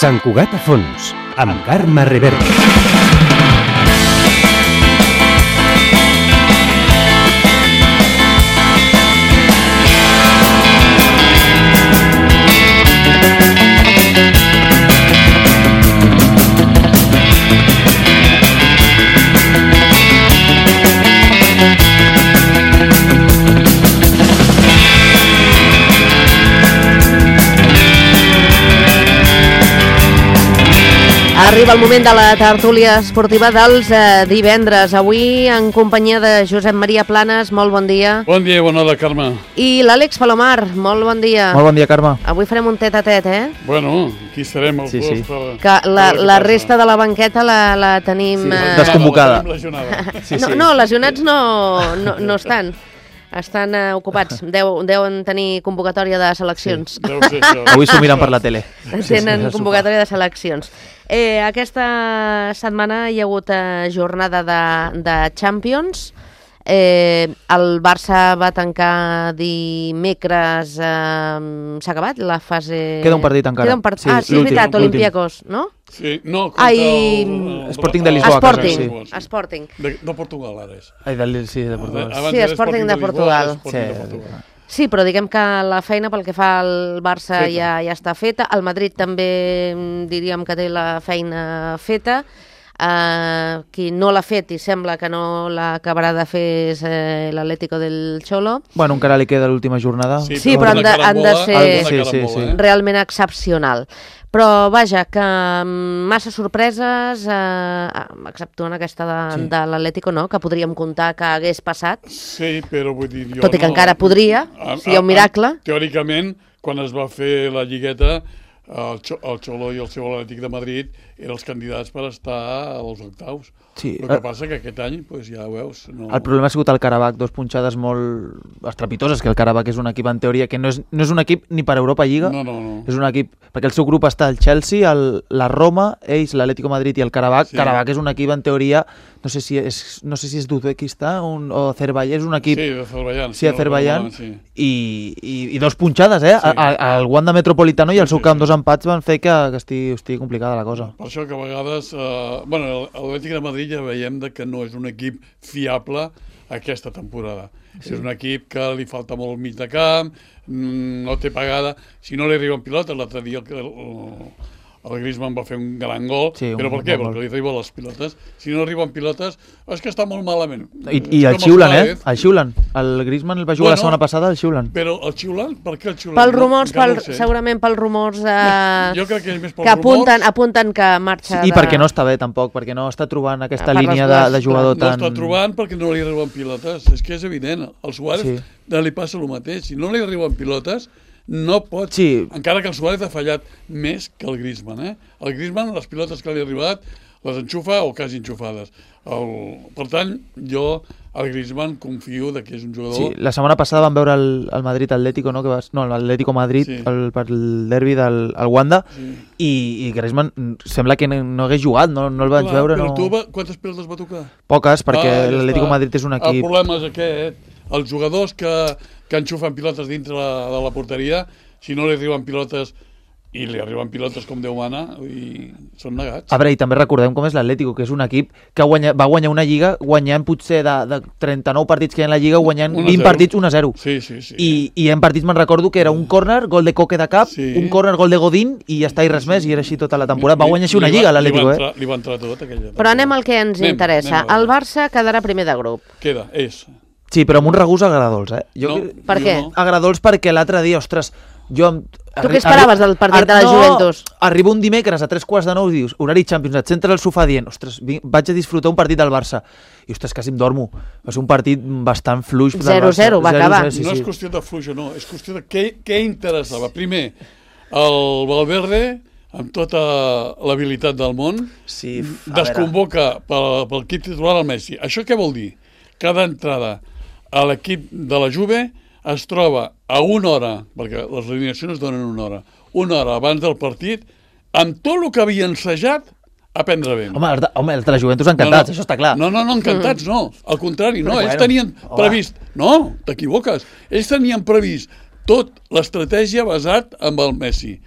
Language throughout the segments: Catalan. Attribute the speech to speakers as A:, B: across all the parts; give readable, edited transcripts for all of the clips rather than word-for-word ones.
A: Sant Cugat a fons, amb Carme Reverte.
B: Arriba el moment de la tertúlia esportiva dels divendres. Avui en companyia de Josep Maria Planes, molt bon dia.
C: Bon dia i bona hora, Carme.
B: I l'Àlex Palomar, molt bon dia.
D: Molt bon dia, Carme.
B: Avui farem un tet-a-tet,
C: Bueno, aquí serem els dos.
D: Sí.
B: Que la resta de la banqueta la tenim...
D: desconvocada.
B: No, lesionats no estan. Estan ocupats. Deuen tenir convocatòria de seleccions.
C: Deu ser això.
D: Avui s'ho miren per la tele.
B: Tenen convocatòria de seleccions. Aquesta setmana hi ha hagut jornada de Champions. El Barça va tancar dimecres. S'ha acabat la fase...
D: Queda un partit encara.
B: Sí, és veritat, Olympiacos, no?
C: Sí, no, contra
D: Sporting de Lisboa.
B: Sporting.
C: De Portugal, ara és.
D: De Portugal.
B: Sí, Sporting de Portugal. Sí, però diguem que la feina pel que fa al Barça ja està feta. El Madrid també diríem que té la feina feta. Qui no l'ha fet i sembla que no l'acabarà de fer és l'Atlético del Cholo.
D: Bueno, encara li queda l'última jornada.
B: Sí, però han de ser realment excepcional. Però vaja, que massa sorpreses, exceptuant aquesta de l'Atlético, no? Que podríem comptar que hagués passat.
C: Sí, però vull dir...
B: Tot i que encara podria, si hi ha un miracle.
C: Teòricament, quan es va fer la lligueta, el Xolo i el seu Atlètic de Madrid eren els candidats per estar als octaus.
D: Sí.
C: El que passa que aquest any, ja ho veus...
D: El problema ha sigut el Karabakh, dos punxades molt estrepitoses, que el Karabakh és un equip en teoria que no és un equip ni per Europa Lliga.
C: No.
D: És un equip, perquè el seu grup està el Chelsea, la Roma, ells, l'Atlético Madrid i el Karabakh.
C: Sí.
D: Karabakh és un equip en teoria, no sé si és d'Uzbekistan o Azerbaiyán, és un equip...
C: Sí, d'Azerbaiyán.
D: Sí, Azerbaiyán. I dos punxades, al Wanda Metropolitano i el seu camp, dos empats van fer que estigui complicada la cosa.
C: Per això que a vegades... l'Atlètic de Madrid ja veiem que no és un equip fiable aquesta temporada. Sí. És un equip que li falta molt mig de camp, no té pagada. Si no li arriben pilotes, l'altre dia el Griezmann va fer un gran gol, però per què? Perquè li arriben les pilotes. Si no arriben pilotes, és que està molt malament.
D: I el xiulen, el xiulen. El Griezmann el va jugar la setmana passada, el xiulen.
C: Però el xiulen? Per què el xiulen?
B: Pels rumors, segurament pels rumors
C: jo crec que és més
B: que apunten que marxa...
D: I perquè no està bé, tampoc, perquè no està trobant aquesta línia de jugador tan...
C: No està trobant perquè no li arriben pilotes, és que és evident. Al Suárez li passa el mateix. Si no li arriben pilotes, no pot, encara que el Suárez ha fallat més que el Griezmann. El Griezmann, les pilotes que li ha arribat, les enxufa o quasi enxufades. Per tant, jo al Griezmann confio que és un jugador...
D: Sí, la setmana passada vam veure el Madrid-Atlético, no? L'Atlético Madrid per el derbi del Wanda, i Griezmann sembla que no hagués jugat, no el vaig veure.
C: Però tu, quantes pilotes va tocar?
D: Poques, perquè l'Atlético Madrid és un equip...
C: El problema és aquest, els jugadors que enxufen pilotes dintre de la porteria, si no li arriben pilotes i li arriben pilotes com Déu mana, són negats.
D: A veure, i també recordem com és l'Atlético, que és un equip que va guanyar una lliga guanyant potser de 39 partits que hi ha en la lliga, guanyant 20 partits 1-0.
C: Sí.
D: I en partits me'n recordo que era un córner, gol de Coque de cap, un córner, gol de Godín, i ja està, i res més, i era així tota la temporada. Va guanyar així una lliga l'Atlético,
C: Li va entrar tot aquella temporada.
B: Però anem al que ens interessa. El Barça quedarà primer de grup.
C: És.
D: Sí, però amb un regús agradols,
B: Per què?
D: Agradols perquè l'altre dia, ostres,
B: tu què esperaves del partit de la Juventus?
D: Arriba un dimecres a 3:15 i dius, horari Champions, et sentes al sofà dient, ostres, vaig a disfrutar un partit del Barça. I ostres, quasi em dormo. Va ser un partit bastant fluix.
B: 0-0, va acabar.
C: No és qüestió de fluix o no, és qüestió de què interessava. Primer, el Valverde, amb tota l'habilitat del món, desconvoca pel equip titular el Messi. Això què vol dir? Cada entrada a l'equip de la Juve es troba a una hora, perquè les alineacions es donen una hora abans del partit, amb tot el que havia ensajat a prendre vent.
D: Home, els de la Juventus encantats, això està clar.
C: No, encantats no. Al contrari, no. Ells tenien previst... No, t'equivoques. Ells tenien previst tot l'estratègia basat en el Messi.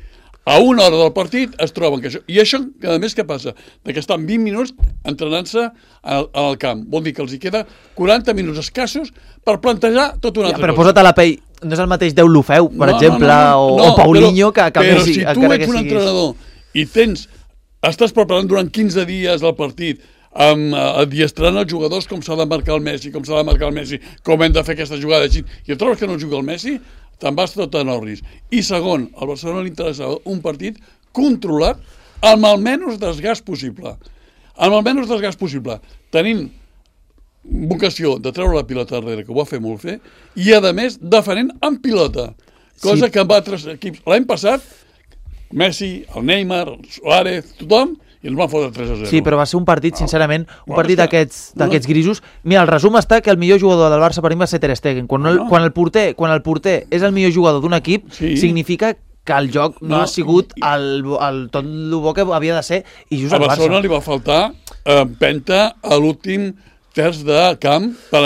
C: a una hora del partit es troben que això... I això, a més, què passa? Que estan 20 minuts entrenant-se al camp. Vol dir que els hi queda 40 minuts escassos per plantejar tot una altra cosa.
D: Però posa't a la pell, no és el mateix Déu Lofeu, per exemple, o Paulinho, que
C: però
D: Messi,
C: si tu ets un entrenador i estàs preparant durant 15 dies el partit, adiestrant els jugadors com s'ha de marcar el Messi, com hem de fer aquesta jugada així, i et trobes que no juga el Messi, te'n vas tot en orris. I segon, al Barcelona li interessava un partit controlat amb el menys desgast possible. Tenint vocació de treure la pilota darrere, que ho va fer molt bé, i a més defenent amb pilota. Cosa que amb altres equips... L'any passat, Messi, el Neymar, el Suárez, tothom, i ens van fotre 3-0.
D: Sí, però va ser un partit, sincerament, un partit d'aquests grisos. Mira, el resum està que el millor jugador del Barça per mi va ser Ter Stegen. Quan el porter és el millor jugador d'un equip, significa que el joc no ha sigut tot el bo que havia de ser, i just al Barça.
C: A Barcelona li va faltar empenta a l'últim terç de camp per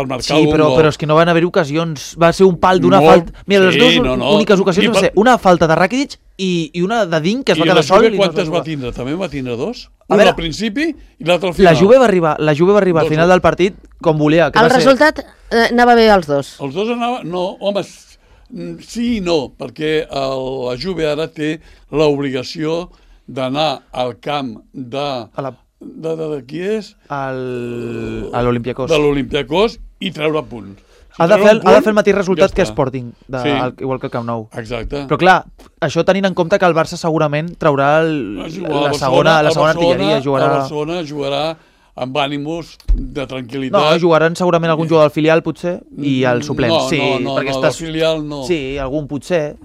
C: marcar algun gol.
D: Però és que no van haver ocasions. Va ser un pal d'una falta. Mira, les dues úniques ocasions van ser una falta de Rakitic i una de Dink, que es va quedar sol.
C: I la Juve quantes va tindre? També va tindre dos? Una al principi i l'altra al final.
D: La Juve va arribar al final del partit com volia.
B: El resultat anava bé als dos.
C: Els dos anaven... No, home, sí i no, perquè la Juve ara té l'obligació d'anar al camp de qui és?
D: A l'Olympiacos.
C: De l'Olympiacos i treure punts.
D: Ha de fer el mateix resultat que Sporting, igual que el Camp Nou.
C: Exacte.
D: Però clar, això tenint en compte que el Barça segurament traurà la segona artilleria.
C: El Barcelona jugarà amb ànims de tranquil·litat.
D: No, jugaran segurament algun jugador del filial, potser, i el suplent.
C: No, del filial no.
D: Sí, algun potser.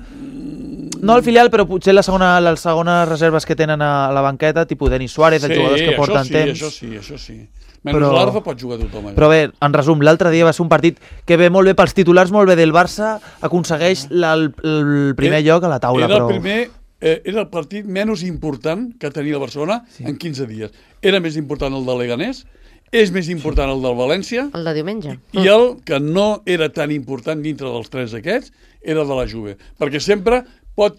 D: No el filial, però potser les segones reserves que tenen a la banqueta, tipus Denis Suárez, els jugadors que porten temps.
C: Això sí. Menys l'Arfa pot jugar tothom allà.
D: Però bé, en resum, l'altre dia va ser un partit que ve molt bé pels titulars, molt bé del Barça, aconsegueix el primer lloc a la taula.
C: Era el partit menys important que tenia el Barcelona en 15 dies. Era més important el del Leganés, és més important el del València.
B: El de diumenge.
C: I el que no era tan important dintre dels tres aquests era el de la Juve. Perquè sempre pot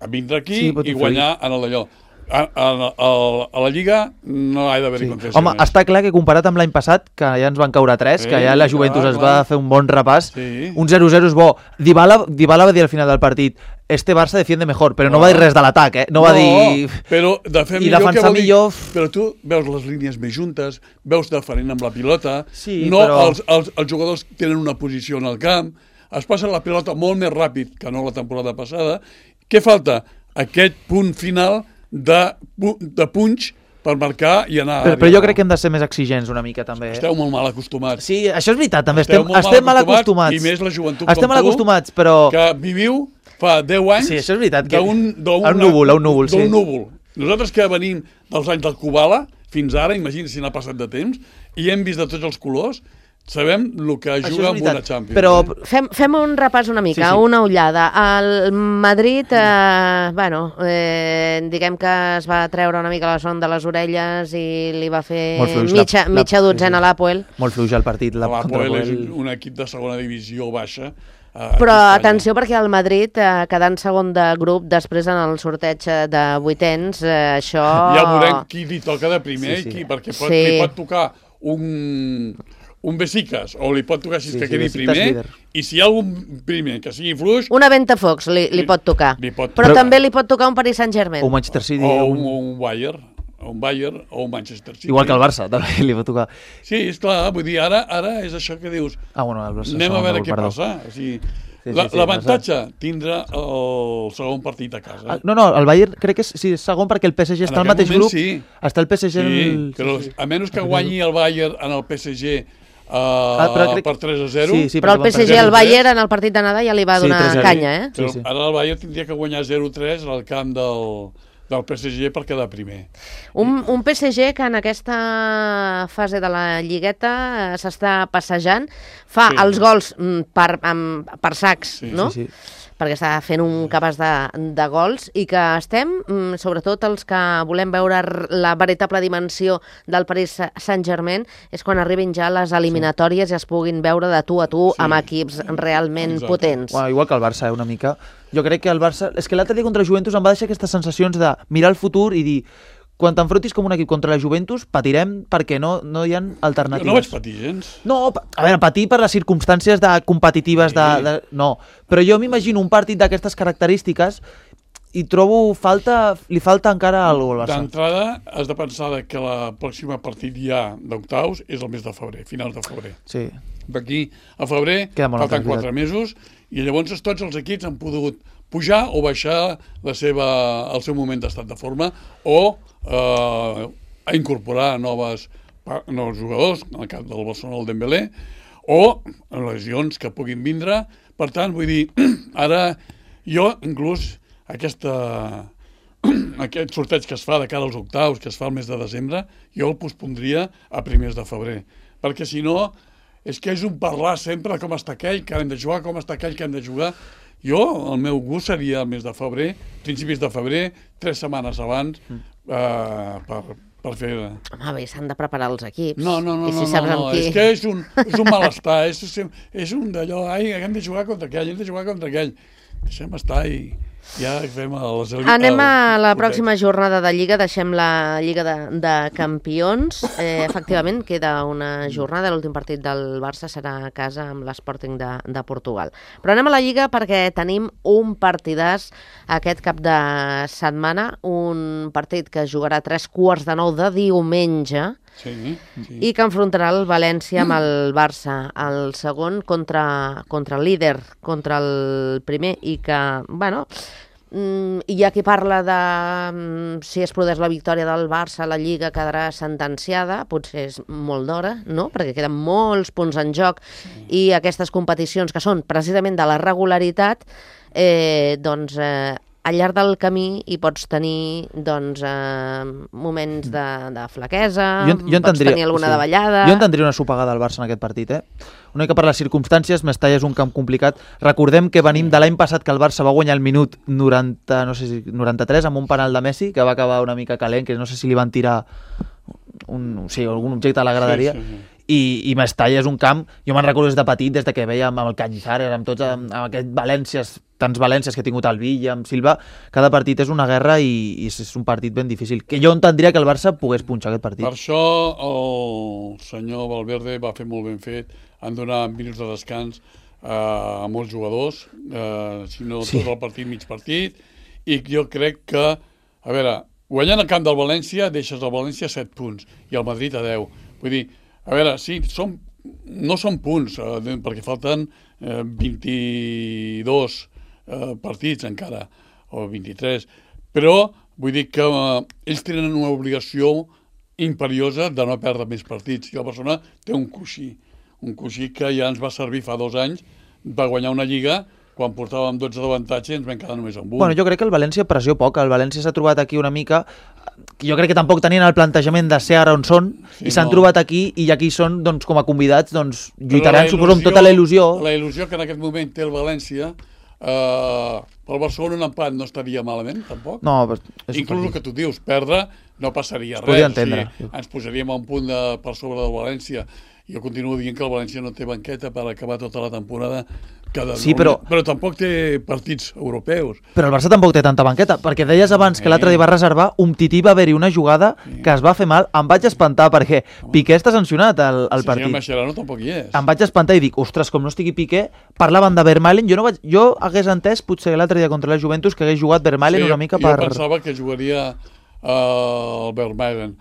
C: vindre aquí i guanyar en allò. A la Lliga no ha d'haver-hi contestacions.
D: Home, està clar que comparat amb l'any passat, que ja ens van caure 3, que ja la Juventus es va fer un bon repàs, un 0-0 és bo. Dybala va dir al final del partit, este Barça defiende mejor, però no va dir res de l'atac, no va dir...
C: Però de fer millor, què vol dir? Però tu veus les línies més juntes, veus defenent amb la pilota, els jugadors tenen una posició en el camp, es passa la pilota molt més ràpid que no la temporada passada. Què falta? Aquest punt final de punx per marcar i anar...
D: Però jo crec que hem de ser més exigents una mica, també.
C: Esteu molt mal acostumats.
D: Sí, això és veritat, també. Estem mal acostumats.
C: I més la joventut
D: estem mal acostumats, però...
C: Que viviu fa 10 anys...
D: Sí, això és veritat.
C: D'un
D: núvol.
C: Nosaltres que venim dels anys del Kubala fins ara, imagina si n'ha passat de temps, i hem vist de tots els colors, sabem el que juga amb una Champions.
B: Però fem un repàs una mica, una ullada. El Madrid, diguem que es va treure una mica la son de les orelles i li va fer mitja dotzena a l'Apoel.
D: Molt fluix el partit.
C: L'Apoel és un equip de segona divisió baixa.
B: Però atenció, perquè el Madrid, quedant segon de grup després en el sorteig de vuitens, això...
C: Ja veurem qui li toca de primer, perquè li pot tocar un Besicas, o li pot tocar si que quedi primer, i si hi ha algun primer que sigui fluix...
B: Una Ventafocs li pot tocar, però també li pot tocar un Paris Saint-Germain.
D: O un Manchester City.
C: O un Bayern, o un Manchester City.
D: Igual que el Barça, també li pot tocar.
C: Sí, és clar, vull dir, ara és això que dius. Anem a veure què passa. O sigui, l'avantatge tindrà el segon partit a casa.
D: No, el Bayern crec que és segon perquè el PSG està al mateix grup. Està el PSG...
C: però a menys que guanyi el Bayern en el PSG per 3-0.
B: Però el PSG al Bayern en el partit d'anada ja li va donar canya,
C: Ara el Bayern tindria que guanyar 0-3 al camp del PSG per quedar primer.
B: Un PSG que en aquesta fase de la Lligueta s'està passejant, fa els gols per sacs, no? Sí. Perquè està fent un cabàs de gols i que estem, sobretot els que volem veure la veritable dimensió del Paris Saint-Germain, és quan arribin ja les eliminatòries i es puguin veure de tu a tu amb equips realment potents.
D: Bueno, igual que el Barça, una mica. Jo crec que el Barça... És que l'altre dia contra Juventus em va deixar aquestes sensacions de mirar el futur i dir quan t'enfrontis com un equip contra la Juventus, patirem perquè no hi ha alternatives.
C: Jo no vaig patir gens.
D: No, a veure, patir per les circumstàncies competitives no, però jo m'imagino un partit d'aquestes característiques i trobo li falta encara alguna cosa al Barça.
C: D'entrada, has de pensar que la pròxima partit ja d'octaus és el mes de febrer, finals de febrer.
D: Sí.
C: D'aquí a febrer falten 4 mesos i llavors tots els equips han pogut pujar o baixar el seu moment d'estat de forma o a incorporar nous jugadors, en el cas del Barcelona el Dembélé, o lesions que puguin vindre. Per tant, vull dir, ara jo inclús aquest sorteig que es fa de cara als octaus, que es fa el mes de desembre, jo el pospondria a primers de febrer, perquè si no és que és un parlar sempre de com està aquell que hem de jugar, com està aquell que hem de jugar. Jo, el meu gust seria el mes de febrer, principis de febrer, 3 setmanes abans, per fer...
B: Home, bé, s'han de preparar els equips.
C: No, és que és un malestar, és un d'allò, hem de jugar contra aquell, hem de jugar contra aquell. Deixem estar i ja fem les...
B: Anem a la pròxima jornada de Lliga, deixem la Lliga de Campions. Efectivament, queda una jornada, l'últim partit del Barça serà a casa amb l'Sporting de Portugal. Però anem a la Lliga perquè tenim un partidàs aquest cap de setmana, un partit que jugarà a 8:45 de diumenge, i que enfrontarà el València amb el Barça, el segon contra el líder, contra el primer, i que, bueno, hi ha qui parla de si es produeix la victòria del Barça, la Lliga quedarà sentenciada, potser és molt d'hora, no?, perquè queden molts punts en joc i aquestes competicions que són precisament de la regularitat, doncs al llarg del camí hi pots tenir moments de flaquesa, pots tenir alguna davallada...
D: Jo entendria una sopegada al Barça en aquest partit, Una mica per les circumstàncies, Mestalla és un camp complicat. Recordem que venim de l'any passat que el Barça va guanyar el minut 93 amb un penal de Messi, que va acabar una mica calent, que no sé si li van tirar algun objecte a la graderia. I Mestalla és un camp, jo me'n recordo des de petit, des que veia amb el Cañizares, amb aquests Valències, tants Valències que ha tingut el Villa, amb Silva, cada partit és una guerra i és un partit ben difícil, que jo entendria que el Barça pogués punxar aquest partit.
C: Per això el senyor Valverde va fer molt ben fet en donar minuts de descans a molts jugadors, si no tot el partit, mig partit, i jo crec que, a veure, guanyant el camp del València, deixes el València a 7 punts i el Madrid a 10. Vull dir, a veure, sí, no són punts, perquè falten 22 partits encara, o 23, però vull dir que ells tenen una obligació imperiosa de no perdre més partits. I el Barcelona té un coixí que ja ens va servir fa 2 anys per guanyar una Lliga, quan portàvem 12 d'avantatge i ens vam quedar només amb 1.
D: Bueno, jo crec que el València pressió poc, el València s'ha trobat aquí una mica, jo crec que tampoc tenien el plantejament de ser ara on són, i s'han trobat aquí, i aquí són, doncs, com a convidats, doncs, lluitaran, suposo, amb tota la il·lusió.
C: La il·lusió que en aquest moment té el València, pel Barcelona un empat no estaria malament, tampoc.
D: No,
C: inclús el que tu dius, perdre no passaria res.
D: Podria entendre.
C: Ens posaríem a un punt per sobre del València. Jo continuo dient que el València no té banqueta per acabar tota la temporada. Però tampoc té partits europeus.
D: Però el Barça tampoc té tanta banqueta, perquè deies abans que l'altre dia va reservar, Umtiti va haver-hi una jugada que es va fer mal, em vaig espantar perquè Piqué està sancionat al partit.
C: Si Mascherano tampoc hi és.
D: Em vaig espantar i dic, ostres, com no estigui Piqué, parlaven de Vermaelen, jo hagués entès potser l'altre dia contra la Juventus que hagués jugat Vermaelen una mica per...
C: Jo pensava que jugaria el Vermaelen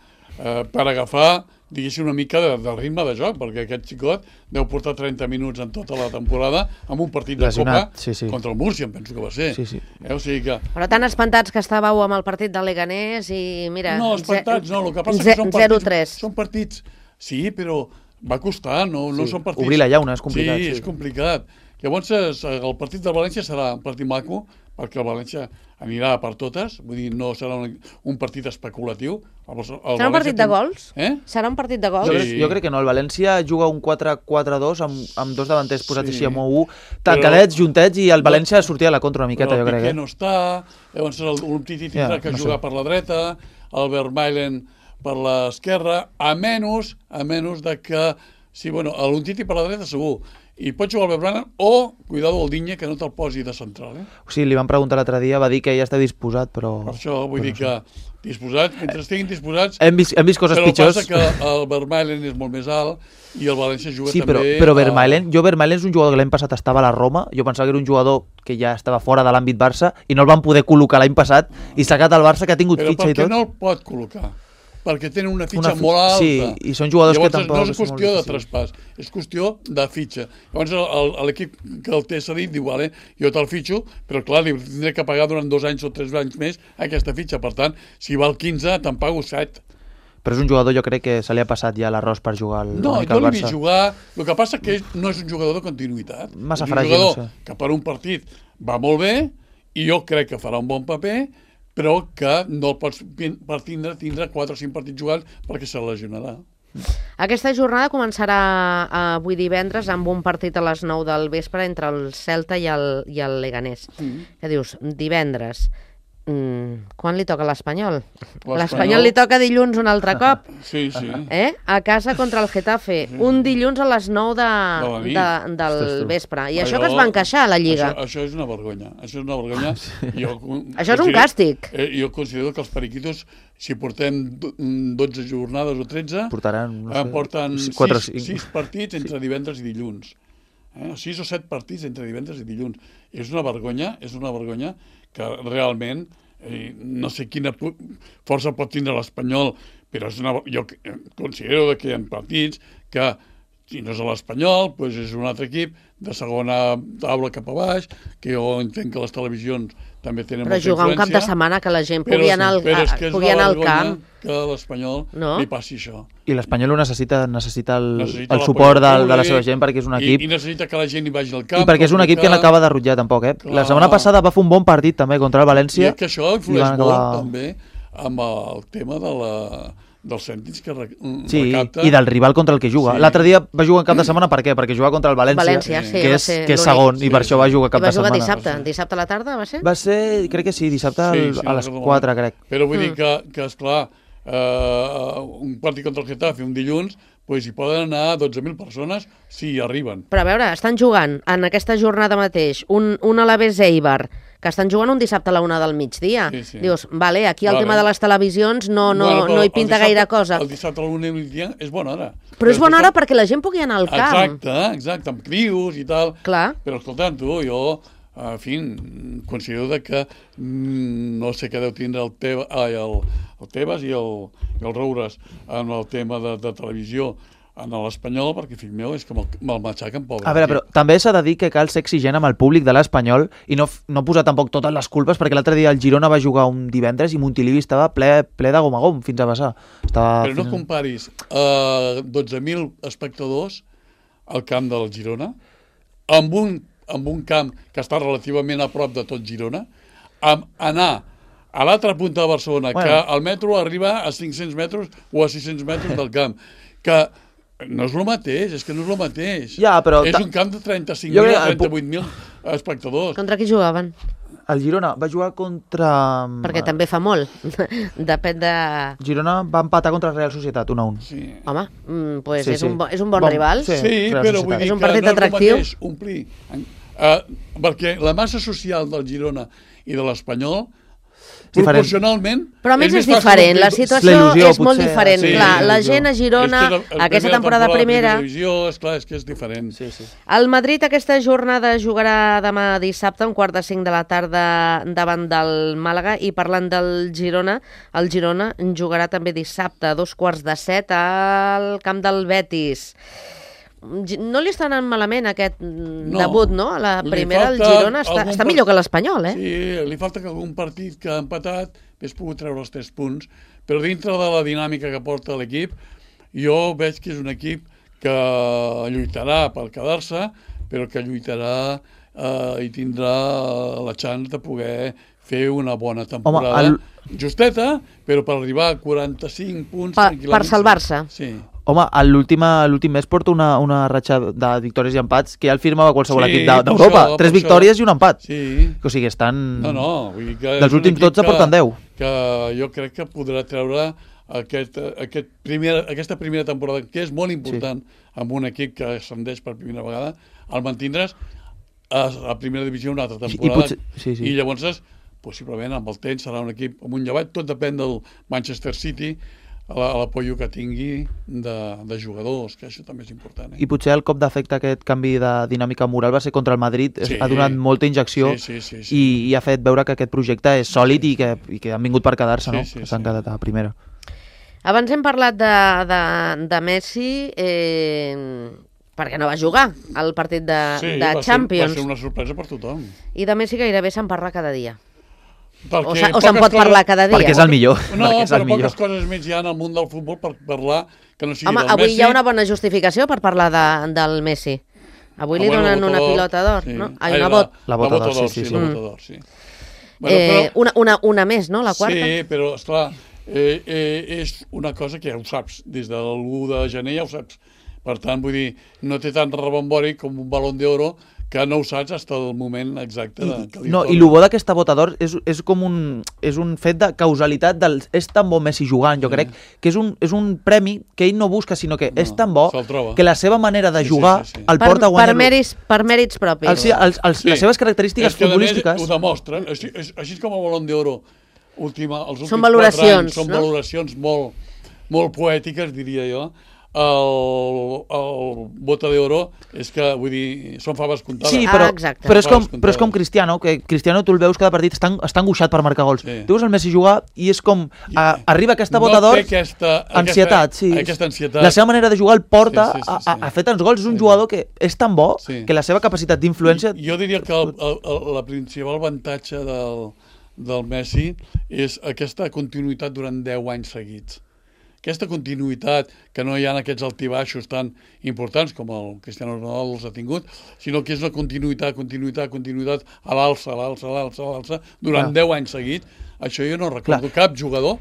C: per agafar, diguéssim, una mica del ritme de joc, perquè aquest xicot deu portar 30 minuts en tota la temporada amb un partit de Copa contra el Múrcia, em penso que va ser. O sigui que...
B: Però tan espantats que estàveu amb el partit de Leganés i mira...
C: No, espantats no, el que passa és que són partits... Sí, però va costar, no són partits...
D: Obrir la llauna és complicat.
C: Sí, és complicat. Llavors, el partit del València serà un partit maco, perquè el València anirà per totes, vull dir, no serà un partit especulatiu.
B: Serà un partit de gols? Serà un partit de gols?
D: Jo crec que no, el València juga un 4-4-2 amb dos davanters posats així amb 1, tancadets, juntets, i el València sortia a la contra una miqueta, jo crec.
C: Però Piqué no està, llavors l'Umtiti tindrà que jugar per la dreta, el Vermaelen per l'esquerra, a menys de que, sí, bueno, l'Umtiti per la dreta segur, i pot jugar el Vermaelen o, cuidado, el Digne, que no te'l posi de central.
D: Sí, li van preguntar l'altre dia, va dir que ja està disposat, però...
C: Per això vull dir que disposats, mentre estiguin disposats...
D: Hem vist coses pitjors.
C: Però passa que el Vermaelen és molt més alt i el València juga també...
D: Sí, però Vermaelen és un jugador que l'any passat estava a la Roma, jo pensava que era un jugador que ja estava fora de l'àmbit Barça i no el van poder col·locar l'any passat i s'ha quedat al Barça, que ha tingut fitxa i tot.
C: Però per què no el pot col·locar? Perquè tenen una fitxa molt alta.
D: Sí, i són jugadors que tampoc...
C: No és qüestió de traspàs, és qüestió de fitxa. Llavors l'equip que el té cedit diu, vale, jo te'l fitxo, però clar, li tindré que pagar durant 2 anys o 3 anys més aquesta fitxa. Per tant, si val 15, te'n pago 7.
D: Però és un jugador, jo crec que se li ha passat ja l'arròs per jugar al Barça.
C: No l'he vist jugar. El que passa que no és un jugador de continuïtat.
D: Massa
C: fràgil, no sé. És un jugador que per un partit va molt bé i jo crec que farà un bon paper, però que no el pots tindre 4 o 5 partits jugats perquè se lesionarà.
B: Aquesta jornada començarà avui divendres amb un partit a les 9 del vespre entre el Celta i el Leganés. Què dius? Divendres. Quan li toca l'Espanyol? L'Espanyol li toca dilluns un altre cop.
C: Sí.
B: A casa contra el Getafe. Un dilluns a les 9 del vespre. I això que es va encaixar a la Lliga.
C: Això és una vergonya. Això
B: és un càstig.
C: Jo considero que els periquitos, si portem 12 jornades o 13, porten 6 partits entre divendres i dilluns. 6 o 7 partits entre divendres i dilluns. És una vergonya que realment no sé quina força pot tindre l'Espanyol, però jo considero que hi ha partits que, si no és l'Espanyol, doncs és un altre equip de segona taula cap a baix, que jo entenc que les televisions també tenen molta influència.
B: Però jugar un cap de setmana que la gent pugui anar al camp.
C: Que a l'Espanyol li passi això.
D: I l'Espanyol necessita el suport de la seva gent perquè és un equip...
C: I necessita que la gent hi vagi al camp.
D: I perquè és un equip que no acaba de rutllar tampoc, La setmana passada va fer un bon partit també contra el València.
C: I que això influeix molt també amb el tema dels cèntims que recapta.
D: I del rival contra el que juga. L'altre dia va jugar en cap de setmana, per què? Perquè jugava contra el València, que és segon, i per això va jugar cap de setmana.
B: I va jugar dissabte a la tarda, va ser?
D: Va ser, crec que sí, dissabte a les 4, crec.
C: Però vull dir que esclar, un partit contra el Getafe un dilluns, doncs hi poden anar 12.000 persones si hi arriben.
B: Però a veure, estan jugant en aquesta jornada mateix un Alavés Eibar, que estan jugant un dissabte a la 1 del migdia. Dius, vale, aquí el tema de les televisions no hi pinta gaire cosa.
C: El dissabte a la 1 del migdia és bona hora.
B: Però és bona hora perquè la gent pugui anar al camp.
C: Exacte, amb crios i tal.
B: Clar.
C: Però escolta, jo, en fi, considero que no sé què deu tindre el Tebas i el Roures en el tema de televisió en l'Espanyol, perquè, fill meu, és que me'l matxaquen, pobre.
D: A veure, però també s'ha de dir que cal ser exigent amb el públic de l'Espanyol i no posar tampoc totes les culpes, perquè l'altre dia el Girona va jugar un divendres i Montilivi estava ple de gom a gom fins a vessar.
C: Però no comparis 12.000 espectadors al camp del Girona amb un camp que està relativament a prop de tot Girona, amb anar a l'altra punta de Barcelona, que el metro arriba a 500 metres o a 600 metres del camp, que no és el mateix, és que no és el mateix.
D: Ja, però
C: és un camp de 35.000 a 38.000 espectadors.
B: Contra qui jugaven?
D: El Girona va jugar contra...
B: Perquè també fa molt. Depèn de...
D: Girona va empatar contra el Real Societat, 1-1.
B: Sí. Home, doncs és un bon rival.
C: Sí, però vull dir que no és el mateix omplir. Perquè la massa social del Girona i de l'Espanyol proporcionalment...
B: Però a més és diferent, la situació és molt diferent. Clar, la gent a Girona, aquesta temporada primera...
C: Esclar, és que és diferent.
B: El Madrid aquesta jornada jugarà demà dissabte, 4:45 de la tarda, davant del Màlaga, i parlant del Girona, el Girona jugarà també dissabte, a 6:45 al camp del Betis. No li està anant malament aquest debut, no? A la primera el Girona està millor que l'Espanyol, eh?
C: Sí, li falta que algun partit que ha empatat hagués pogut treure els 3 punts, però dintre de la dinàmica que porta l'equip, jo veig que és un equip que lluitarà per quedar-se, però que lluitarà i tindrà la chance de poder fer una bona temporada. Justeta, però per arribar a 45 punts...
B: Per salvar-se.
C: Sí.
D: Home, l'últim mes porta una ratxa de victòries i empats que ja el firmava qualsevol equip d'Europa. 3 victòries i un empat.
C: Sí.
D: O sigui, estan...
C: Vull dir que
D: dels últims 12 porten 10.
C: Que jo crec que podrà treure aquesta primera temporada, que és molt important amb un equip que ascendeix per primera vegada, el mantindre's a primera divisió una altra temporada. I llavors, possiblement, amb el temps serà un equip amb un llevat. Tot depèn del Manchester City, l'apoyo que tingui de jugadors, que això també és important.
D: I potser el cop d'efecte, aquest canvi de dinàmica moral va ser contra el Madrid, ha donat molta injecció i ha fet veure que aquest projecte és sòlid i que han vingut per quedar-se, que s'han quedat a primera.
B: Abans hem parlat de Messi perquè no va jugar al partit de Champions.
C: Va ser una sorpresa per tothom.
B: I de Messi gairebé se'n parla cada dia. O se'n pot parlar cada dia.
D: Perquè és el millor.
C: No, però poques coses més hi ha en el món del futbol per parlar que no sigui del Messi.
B: Home, avui hi ha una bona justificació per parlar del Messi. Avui li donen una pilota d'or, no? Una bota.
D: La bota d'or,
C: sí.
B: Una més, no? La quarta?
C: Sí, però, esclar, és una cosa que ja ho saps. Des de l'1 de gener ja ho saps. Per tant, vull dir, no té tant rebombori com un balón d'oro que no ho saps fins al moment exacte que li
D: toca. I el bo d'aquesta bota d'or és com un fet de causalitat és tan bo Messi jugant, jo crec, que és un premi que ell no busca, sinó que és tan bo que la seva manera de jugar el porta a guanyar...
B: Per mèrits propis.
D: Les seves característiques futbolístiques...
C: Ho demostren, així com el balón d'oro els últims
B: 4 anys,
C: són valoracions molt poètiques, diria jo. El bota d'oro és que, vull dir, són faves comptades.
D: Sí, però és com Cristiano, que Cristiano tu el veus cada partit està angoixat per marcar gols. Tu veus el Messi jugar i és com arriba aquesta bota d'or, ansietat. La seva manera de jugar el porta a fer tants gols. És un jugador que és tan bo que la seva capacitat d'influència...
C: Jo diria que la principal avantatge del Messi és aquesta continuïtat durant 10 anys seguits. Aquesta continuïtat, que no hi ha aquests altibaixos tan importants com el Cristiano Ronaldo els ha tingut, sinó que és una continuïtat a l'alça, durant 10 anys seguits. Això jo no recordo cap jugador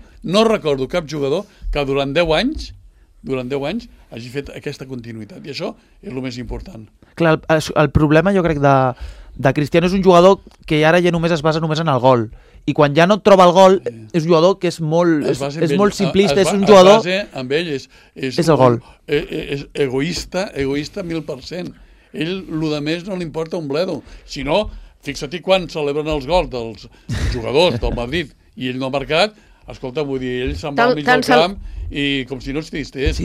C: que durant 10 anys hagi fet aquesta continuïtat. I això és el més important.
D: Clar, el problema jo crec de Cristiano és un jugador que ara ja només es basa només en el gol. I quan ja no et troba el gol, és un jugador que és molt simplista, és un jugador...
C: Amb ell és
D: el gol.
C: És egoista 1000%. Ell, el de més, no li importa un bledo. Si no, fixa-t'hi quan celebren els gols dels jugadors del Madrid i ell no ha marcat, escolta, vull dir, ell se'n va al mig del camp i com si no existís.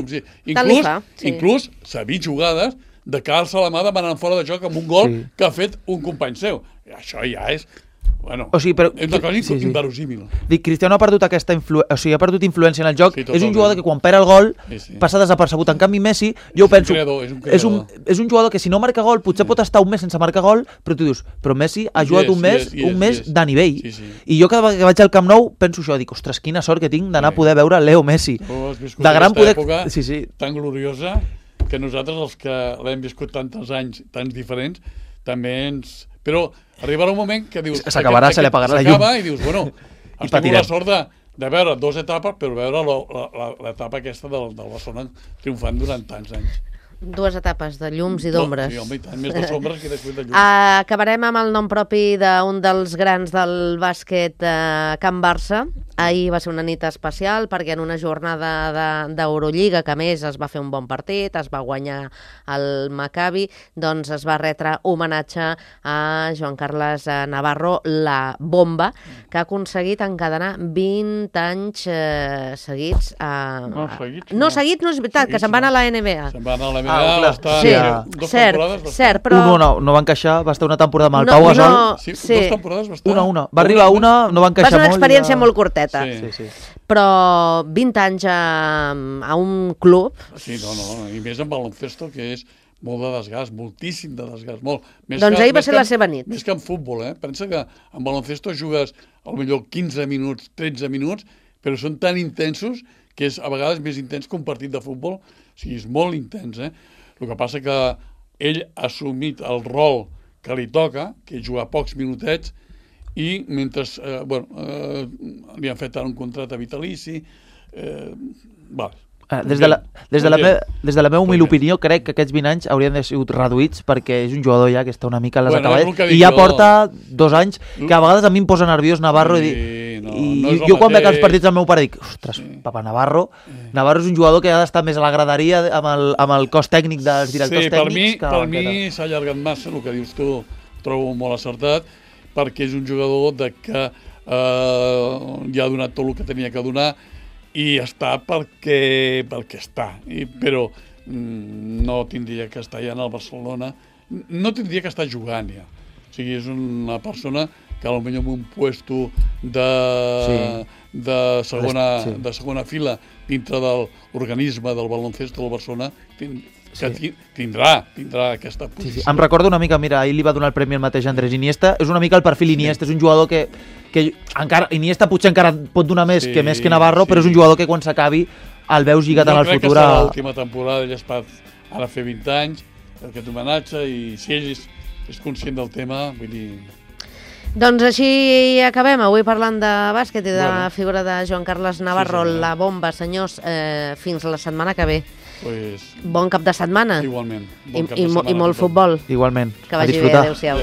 C: Inclús s'ha vist jugades de que alça la mà demanant fora de joc amb un gol que ha fet un company seu. I això ja és... Bueno, és una cosa inverosímil.
D: Dic, Cristiano ha perdut ha perdut influència en el joc. És un jugador que quan perd el gol passa desapercebut. En canvi, Messi, jo penso, és un jugador que si no marca gol potser pot estar un mes sense marcar gol, però tu dius, però Messi ha jugat un mes de nivell. I jo cada vegada que vaig al Camp Nou penso això, dic, ostres, quina sort que tinc d'anar a poder veure Leo Messi.
C: Has viscut aquesta època tan gloriosa que nosaltres, els que l'hem viscut tants anys, tants diferents, també ens... Però arribarà un moment que dius...
D: S'acabarà, se li apagarà la llum.
C: S'acaba i dius, bueno, has tingut la sort de veure 2 etapes, però veure l'etapa aquesta del Barcelona triomfant durant tants anys.
B: 2 etapes de llums i d'ombres.
C: Sí, home, i tant, més de sombres que després de llums.
B: Acabarem amb el nom propi d'un dels grans del bàsquet, Can Barça. Ahir va ser una nit especial perquè en una jornada d'Eurolliga, que a més es va fer un bon partit, es va guanyar el Maccabi, doncs es va retre homenatge a Joan Carles Navarro, la bomba, que ha aconseguit encadenar 20 anys seguits. No, seguits no és veritat, que se'n van a la NBA.
C: Se'n van a la NBA,
B: cert, però...
D: No va encaixar, va estar una temporada amb el Pau Gasol.
C: Sí, 2 temporades va estar.
D: Una. Va arribar una, no va encaixar molt.
B: Va ser una experiència molt curteta.
C: Sí.
B: Però 20 anys a un club...
C: Sí, no, i més en baloncesto, que és molt de desgast, moltíssim de desgast, molt.
B: Doncs ahir va ser la seva nit.
C: Més que en futbol, Pensa que en baloncesto jugues potser 15 minuts, 13 minuts, però són tan intensos que és a vegades més intens que un partit de futbol. O sigui, és molt intens, El que passa que ell ha assumit el rol que li toca, que és jugar pocs minutets, i mentre li han fet un contracte vitalici,
D: Des de la meva humil opinió, crec que aquests 20 anys haurien de ser reduïts perquè és un jugador ja que està una mica a les acaballes i ja porta 2 anys que a vegades a mi em posa nerviós Navarro i jo quan veig els partits del meu pare dic, ostres, papa, Navarro és un jugador que ha d'estar més a la graderia amb el cos tècnic dels directors tècnics.
C: Per mi s'ha allargat massa, el que dius tu trobo molt acertat, perquè és un jugador que ja ha donat tot el que tenia que donar i està perquè està, però no tindria que estar ja en el Barcelona, no tindria que estar jugant ja. O sigui, és una persona que potser en un puesto de segona fila dintre de l'organisme del baloncesto del Barcelona tindrà aquesta posició.
D: Em recorda una mica, mira, ahir li va donar el premi al mateix Andrés Iniesta, és una mica el perfil Iniesta, és un jugador que encara Iniesta potser encara pot donar més que Navarro, però és un jugador que quan s'acabi el veus lligat en el futur.
C: No crec que serà l'última temporada, ell es pot ara fer 20 anys, aquest homenatge, i si ell és conscient del tema, vull dir...
B: Doncs així acabem, avui parlant de bàsquet i de la figura de Joan Carles Navarro, la bomba, senyors, fins la setmana que ve. Bon cap de setmana.
C: Igualment.
B: I molt futbol.
D: Igualment.
B: Que vagi bé, adéu-siau.